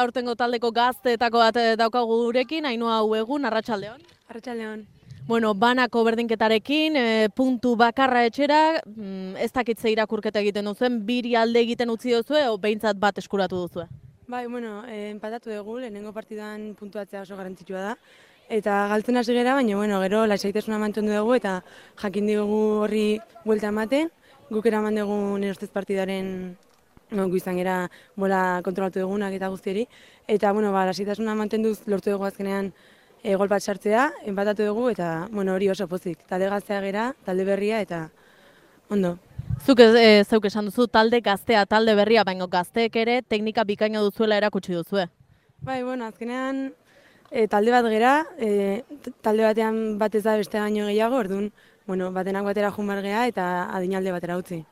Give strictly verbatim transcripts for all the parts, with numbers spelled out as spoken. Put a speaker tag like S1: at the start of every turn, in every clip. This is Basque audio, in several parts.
S1: Aurtengo taldeko gazteetako bat daukagu gurekin, Ainhoa Uegun, Arratsaldeon.
S2: Arratsaldeon.
S1: Bueno, banako berdinketarekin, e, puntu bakarra etxera, mm, ez dakitze irakurketa egiten duzuen, biri alde egiten utzi duzue, o behintzat bat eskuratu duzue?
S2: Bai, bueno, eh, empatatu dugu, lehenengo partidan puntuatzea oso garrantzitsua da. Eta galtzen hasi gera, baina bueno, gero lasaitasuna mantendu dugu eta jakin dugu horri buelta ematen. Guk eraman dugu nire ustez partidaren no, gu izan gera bola kontrolatu dugunak eta guztieri. Eta bueno, ba, lasaitasuna mantenduz lortu dugu azkenean e, gol bat sartzea, empatatu dugu eta bueno, hori oso pozik. Talde gaztea gera, talde berria eta ondo.
S1: Zuk e, zeuk esan duzu talde gaztea, talde berria, baina gazteek ere teknika bikaino duzuela erakutsi duzue.
S2: Bai, bueno, azkenean e, talde bat gera, e, talde batean bat ez da beste baino gehiago, orduan, bueno, batenak batera joan behar gea eta adinalde batera utzi.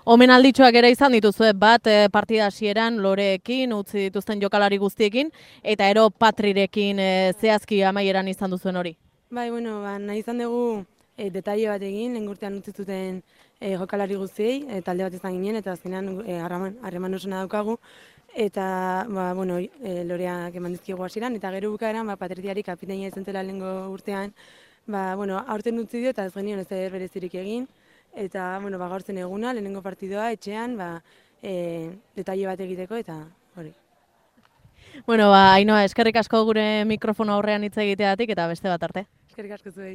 S1: Omenalditxoak ere izan dituzue, bat e, partida hasieran Loreekin, utzi dituzten jokalari guztiekin, eta ero Patrirekin e, zehazki amaieran izan duzuen hori.
S2: Bai, bueno, ba, nahi izan dugu e, detaile bat egin, lehen urtean utzi zuten e, jokalari guztiei, e, talde bat izan ginen, eta azkenean e, harreman, harreman osona daukagu, eta ba, bueno, e, Loreak eman dizkigu hasieran, eta gero bukaeran ba, Patriciari kapitaina izan zela lehengo urtean, ba, bueno, aurten utzi dio eta ez genion ez da berezirik egin, eta bueno, ba, gaurtzen eguna, lehenengo partidua, etxean, ba, e, detaile bat egiteko, eta hori.
S1: Bueno, ba, Ainhoa, eskerrik asko gure mikrofono aurrean hitz egiteagatik eta beste bat arte.
S2: Eskerrik asko zuei.